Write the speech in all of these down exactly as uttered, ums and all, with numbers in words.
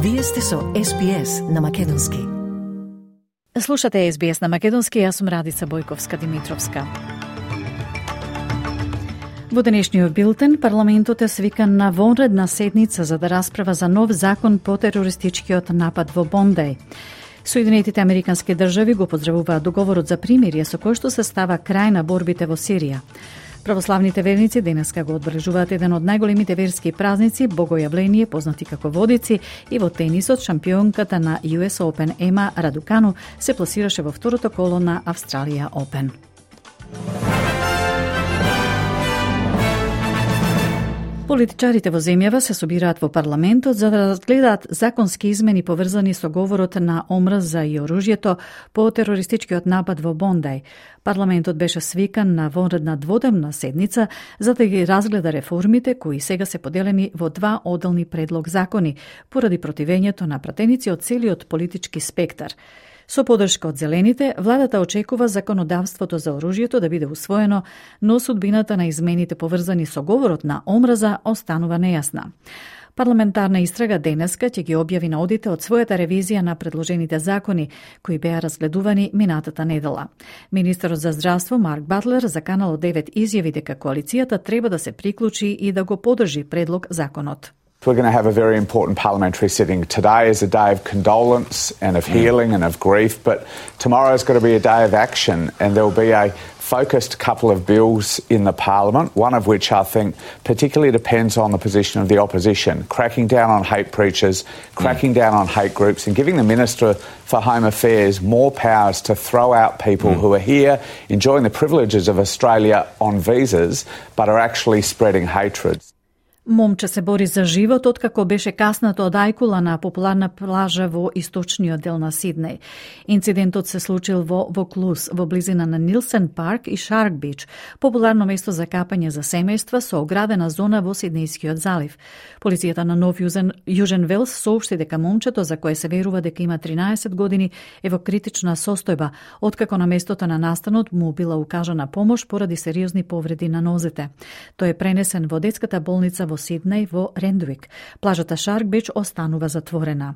Вие сте со Ес Би Ес на Македонски. Слушате Ес Би Ес на Македонски, јас сум Радица Бојковска-Димитровска. Во денешниот билтен, парламентот е свикан на вонредна седница за да расправа за нов закон по терористичкиот напад во Бондеј. Соединетите Американски држави го поздравуваат договорот за примирие со кој што се става крај на борбите во Сирија. Православните верници денеска го одбележуваат еден од најголемите верски празници, богојавление познати како водици, и во тенисот шампионката на Ю Ес Open Ема Радукану се пласираше во второто коло на Австралија Open. Политичарите во земјава се собираат во парламентот за да разгледаат законски измени поврзани со говорот на омрза и оружјето по терористичкиот напад во Бондеј. Парламентот беше свикан на вонредна дводневна седница за да ги разгледа реформите кои сега се поделени во два одделни предлог закони поради противењето на пратеници од целиот политички спектар. Со поддршка од зелените, владата очекува законодавството за оружјето да биде усвоено, но судбината на измените поврзани со говорот на омраза останува нејасна. Парламентарна истрага денеска ќе ги објави на одите од својата ревизија на предложените закони, кои беа разгледувани минатата недела. Министерот за здравство Марк Батлер заканал од девет изјави дека коалицијата треба да се приклучи и да го поддржи предлог законот. We're going to have a very important parliamentary sitting. Today is a day of condolence and of healing and of grief, but tomorrow is going to be a day of action, and there will be a focused couple of bills in the parliament, one of which I think particularly depends on the position of the opposition, cracking down on hate preachers, cracking mm. down on hate groups, and giving the Minister for Home Affairs more powers to throw out people mm. who are here enjoying the privileges of Australia on visas, but are actually spreading hatred. Момче се бори за живот откако беше каснато од ајкула на популарна плажа во источниот дел на Сиднеј. Инцидентот се случил во Воклус, во близина на Нилсен парк и Шарк Бич, популарно место за капање за семејства со оградена зона во Сиднејскиот залив. Полицијата на Нов Јузен, Јужен Велс соопшти дека момчето, за кое се верува дека има тринаесет години, е во критична состојба, откако на местото на настанот му била укажана помош поради сериозни повреди на нозете. Тој е пренесен во детската болница во Сиднеј во Рендвик. Плажата Шарк Бич останува затворена.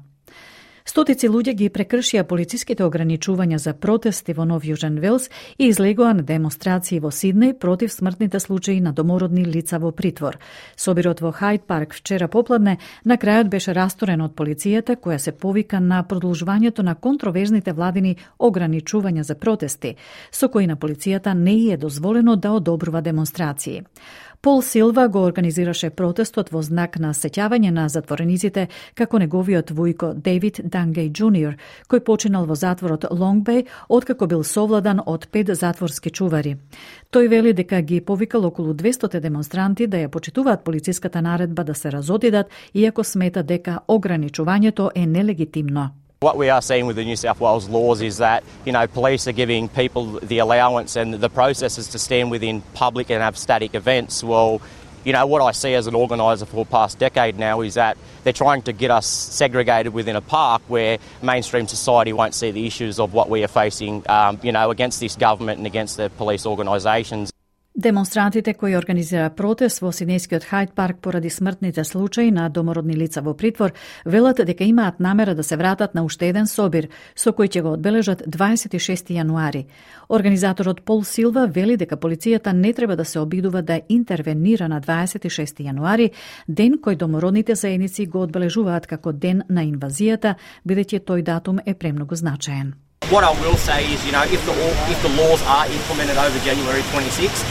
Стотици луѓе ги прекршија полициските ограничувања за протести во Нов Јужен Велс и излегоа на демонстрации во Сиднеј против смртните случаи на домородни лица во притвор. Собирот во Хајд парк вчера попладне на крајот беше расторен од полицијата, која се повика на продолжувањето на контроверзните владини ограничувања за протести, со кои на полицијата не е дозволено да одобрува демонстрации. Пол Силва го организираше протестот во знак на сеќавање на затворениците како неговиот вујко Дейвид Дангеј Џуниор, кој починал во затворот Лонг Беј откако бил совладан од пет затворски чувари. Тој вели дека ги повикал околу двесто демонстранти да ја почитуваат полициската наредба да се разодидат, иако смета дека ограничувањето е нелегитимно. What we are seeing with the New South Wales laws is that, you know, police are giving people the allowance and the processes to stand within public and have static events. Well, you know, what I see as an organiser for the past decade now is that they're trying to get us segregated within a park where mainstream society won't see the issues of what we are facing, um, you know, against this government and against the police organisations. Демонстрантите кои организира протест во Сиднејскиот Хајд парк поради смртните случаи на домородни лица во притвор велат дека имаат намера да се вратат на уште еден собир со кој ќе го одбележат дваесет и шести јануари. Организаторот Пол Силва вели дека полицијата не треба да се обидува да интервенира на дваесет и шести јануари, ден кој домородните заедници го одбележуваат како ден на инвазијата, бидејќи тој датум е премногу значаен. What I will say is, you know, if the if the laws are implemented over January twenty-sixth,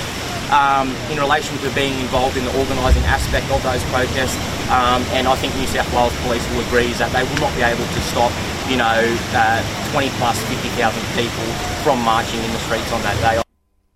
um, in relation to being involved in the organising aspect of those protests, um, and I think New South Wales Police will agree is that they will not be able to stop, you know, uh, twenty plus fifty thousand people from marching in the streets on that day.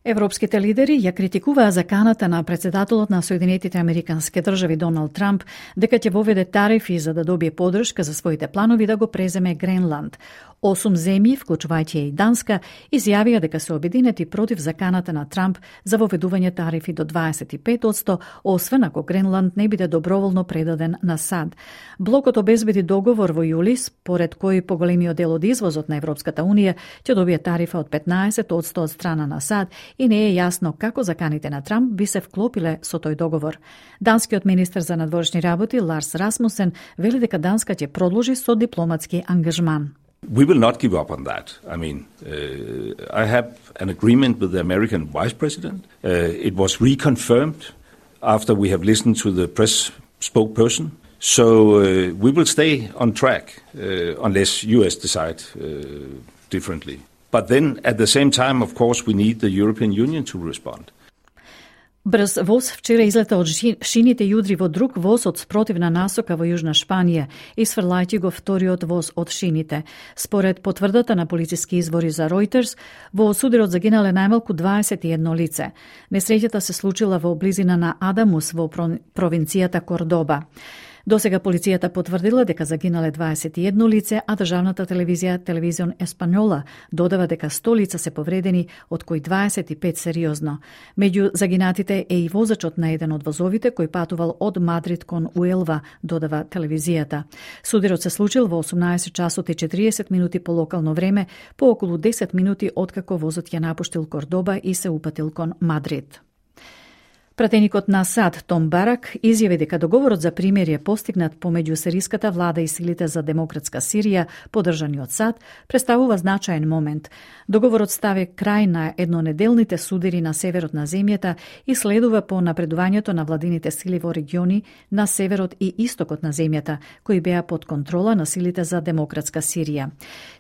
Европските лидери ја критикуваа заканата на претседателот на Соединетите Американски држави Доналд Трамп дека ќе воведе тарифи за да добие поддршка за своите планови да го преземе Гренланд. Осум земји, вклучувајќи и Данска, изјавија дека се обединети против заканата на Трамп за воведување тарифи до дваесет и пет одсто, освен ако Гренланд не биде доброволно предаден на САД. Блокот обезбеди договор во јули, според кој поголемиот дел од извозот на Европската унија ќе добие тарифа од петнаесет одсто од страна на САД и не е јасно како заканите на Трамп би се вклопиле со тој договор. Данскиот министер за надворешни работи Ларс Расмусен вели дека Данска ќе продолжи со дипломатски ангажман. We will not give up on that. I mean, uh, I have an agreement with the American Vice President. Uh, it was reconfirmed after we have listened to the press spokesperson. So uh, we will stay on track uh, unless U S decide uh, differently. But then at the same time, of course, we need the European Union to respond. Брз воз вчера излета од шините и удри во друг воз од спротивна насока во Јужна Шпанија, исфрлајќи го вториот воз од шините. Според потврдата на полициски извори за Reuters, во сударот загинале најмалку дваесет и едно лице. Несреќата се случила во близина на Адамус во провинцијата Кордоба. Досега полицијата потврдила дека загинале дваесет и едно лице, а државната телевизија Телевизион Еспањола додава дека сто лица се повредени, од кои дваесет и пет сериозно. Меѓу загинатите е и возачот на еден од возовите кој патувал од Мадрид кон Уелва, додава телевизијата. Сударот се случил во осумнаесет часот и четириесет минути по локално време, по околу десет минути откако возот ја напуштил Кордоба и се упатил кон Мадрид. Пратеникот на САД Том Барак изјави дека договорот за примирие постигнат помеѓу сириската влада и силите за демократска Сирија, поддржани од САД, представува значаен момент. Договорот стави крај на еднонеделните судири на северот на земјата и следува по напредувањето на владините сили во региони на северот и истокот на земјата, кои беа под контрола на силите за демократска Сирија.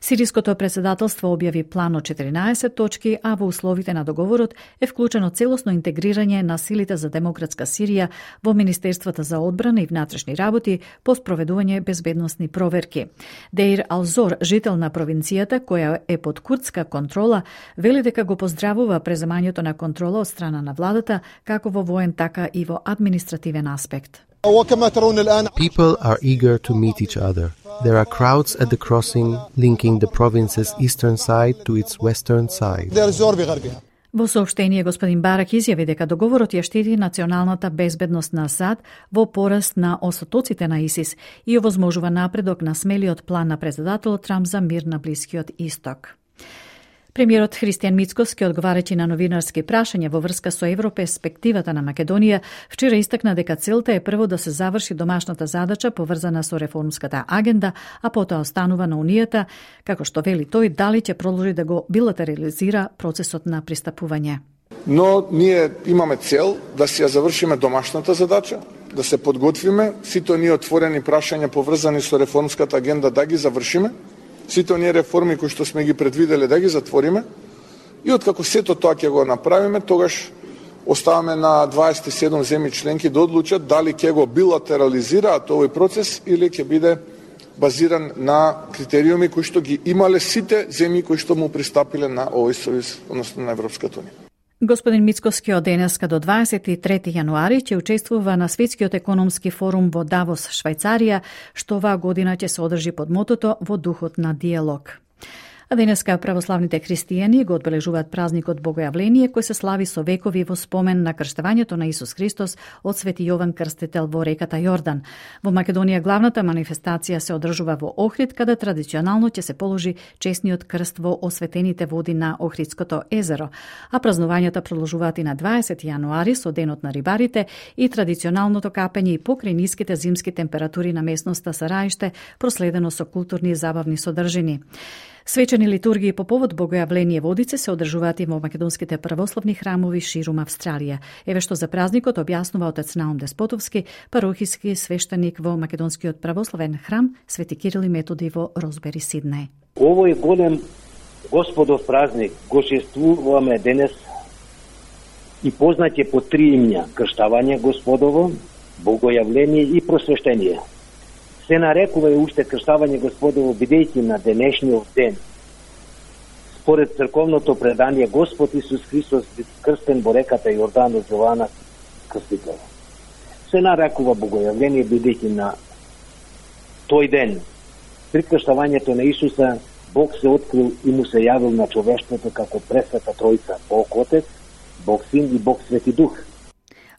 Сириското председателство објави план од четиринаесет точки, а во условите на договорот е вклучено целосно интегрирање на силите за демократска Сирија во Министерствата за одбрана и внатрешни работи по спроведување безбедносни проверки. Деир Алзор, жител на провинцијата која е под курдска контрола, вели дека го поздравува преземањето на контрола од страна на владата, како во воен, така и во административен аспект. People are eager to meet each other. There are crowds at the crossing linking the province's eastern side to its western side. Во соопштение, господин Барак изјави дека договорот ја штити националната безбедност на САД во пораст на осотоците на ИСИС и овозможува напредок на смелиот план на председателот Трамп за мир на Блискиот Исток. Премиерот Христијан Мицкоски, одговарајќи на новинарски прашања во врска со европерспективата на Македонија, вчера истакна дека целта е прво да се заврши домашната задача поврзана со реформската агенда, а потоа останува на Унијата, како што вели тој, дали ќе продолжи да го билатерализира процесот на пристапување. Но ние имаме цел да си ја завршиме домашната задача, да се подготвиме, сите оние отворени прашања поврзани со реформската агенда да ги завршиме, сите оние реформи кои што сме ги предвиделе да ги затвориме и откако сето тоа ќе го направиме, тогаш оставаме на дваесет и седум земји членки да одлучат дали ќе го билатерализираат овој процес или ќе биде базиран на критериуми кои што ги имале сите земји кои што му пристапиле на овој сојуз, односно на Европската унија. Господин Мицкоски од денеска до дваесет и трети јануари ќе учествува на Светскиот економски форум во Давос, Швајцарија, што оваа година ќе се одржи под мотото во духот на диалог. А денеска православните христијани го одбележуваат празникот Богојавление, кој се слави со векови во спомен на крштевањето на Исус Христос од Свети Јован Крстител во реката Јордан. Во Македонија главната манифестација се одржува во Охрид, каде традиционално ќе се положи честниот крст во осветените води на Охридското езеро, а празнувањата продолжуваат и на дваесети јануари со денот на рибарите и традиционалното капење и покрај ниските зимски температури на местноста Сараиште, проследено со културни и забавни содржини. Свечени литургии по повод Богојавление водице се одржуваат и во македонските православни храмови ширум Австралија. Еве што за празникот објаснува отец Наум Деспотовски, парохиски свештеник во македонскиот православен храм Свети Кирил и Методи во Розбери, Сиднеј. Овој голем Господов празник го чествуваме денес и познат е по три имја: крштавање Господово, Богојавление и просвештение. Се нарекува и уште крштавање Господово, бидејќи на денешниот ден, според црковното предание, Господ Исус Христос бил крстен во реката Јордан од Јована Крстител. Се нарекува Богојавление, бидејќи на тој ден, при крштавањето на Исуса, Бог се открил и му се јавил на човештвото како пресвета Тројца, Бог Отец, Бог Син и Бог Свети Дух.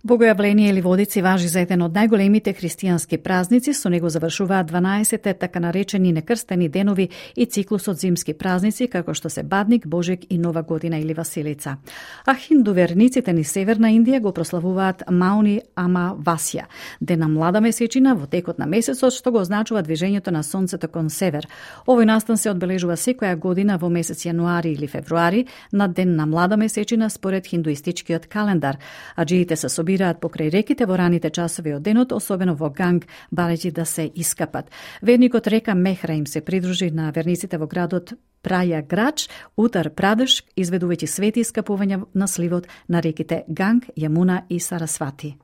Богојавление или Водици важи за еден од најголемите христијански празници, со него завршуваат дванаесетте така наречени некрстени денови и циклусот зимски празници, како што се Бадник, Божек и Нова година или Василица. А хиндуверниците ни Северна Индија го прославуваат Мауни Амавасија, ден на млада месечина во текот на месецот, што го означува движењето на сонцето кон север. Овој настан се одбележува секоја година во месец јануари или февруари, на ден на млада месечина според хиндуистичкиот календар. Аджиите се собираат покрај реките во раните часови од денот, особено во Ганг, барејќи да се искапат. Верникот река Мехра им се придружи на верниците во градот Праја Грач, Утар Прадеш, изведувајќи свети искапувања на сливот на реките Ганг, Јамуна и Сарасвати.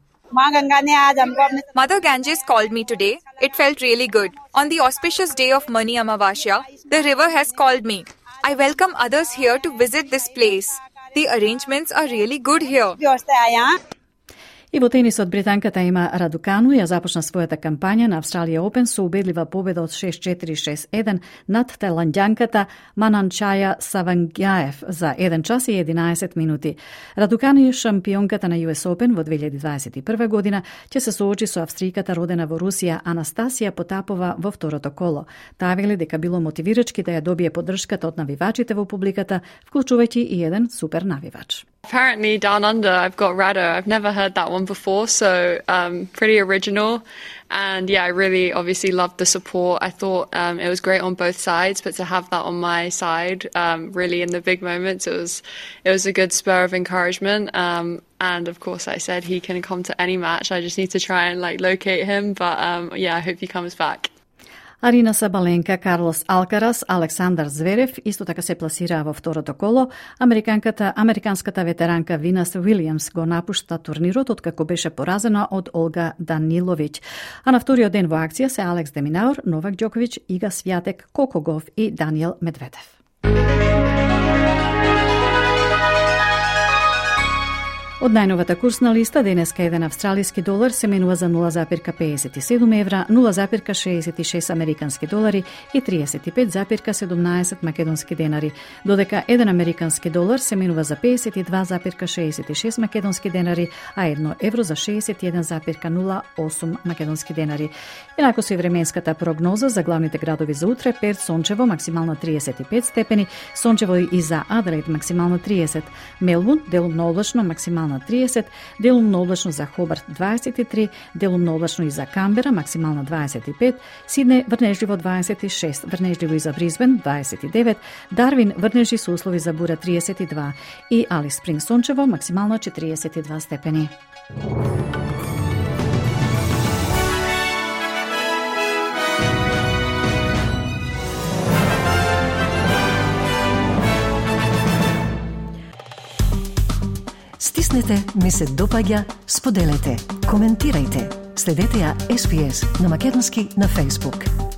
Mother Ganges called me today. It felt really good. On the auspicious day of Mani Amavasya, the river has called me. I welcome others here to visit this place. The arrangements are really good here. И во тенисот британката Ема Радукану ја започна својата кампања на Австралија Опен со убедлива победа од шест четири шест еден над таиландјанката Мананчаја Савангјаев за еден час и единаесет минути. Радукану е шампионката на Ю Ес Опен во две илјади дваесет и прва година, ќе се соочи со австријката родена во Русија Анастасија Потапова во второто коло. Таа вели дека било мотивирачки да ја добие поддршката од навивачите во публиката, вклучувајќи и еден супер навивач. Apparently down under I've got Rado. I've never heard that one before, so um, pretty original. And yeah, I really obviously loved the support. I thought um, it was great on both sides, but to have that on my side, um, really in the big moments, it was it was a good spur of encouragement. Um, and of course, I said he can come to any match. I just need to try and like locate him. But um, yeah, I hope he comes back. Арина Сабаленка, Карлос Алкарас, Александар Зверев исто така се пласираа во второто коло. Американката, американската ветеранка Винас Уилијамс го напушта турнирот откако беше поразена од Олга Даниловиќ. А на вториот ден во акција се Алекс Деминаур, Новак Ѓоковиќ, Ига Свјатек, Кокогов и Даниел Медведев. Од најновата курсна листа, денеска еден австралиски долар се менува за нула запирка педесет и седум евра, нула запирка шеесет и шест американски долари и триесет и пет запирка седумнаесет македонски денари, додека еден американски долар се менува за педесет и два запирка шеесет и шест македонски денари, а едно евро за шеесет и еден запирка нула осум македонски денари. Инаку со и временската прогноза за главните градови за утре: Перт сончево, максимално триесет и пет степени, сончево и за Аделаид максимално триесет, Мелбурн делумно облачно максимално на триесет, делумно облачно за Хобарт дваесет и три, делумно облачно и за Камбера максимално дваесет и пет, Сиднеј врнежливо дваесет и шест, врнежливо и за Бризбен дваесет и девет, Дарвин врнежи со услови за бура триесет и два и Алис Спринг сончево максимално четириесет и два степени. Стиснете, ми се допаѓа, споделете, коментирајте. Следете ја Ес Би Ес на македонски на Facebook.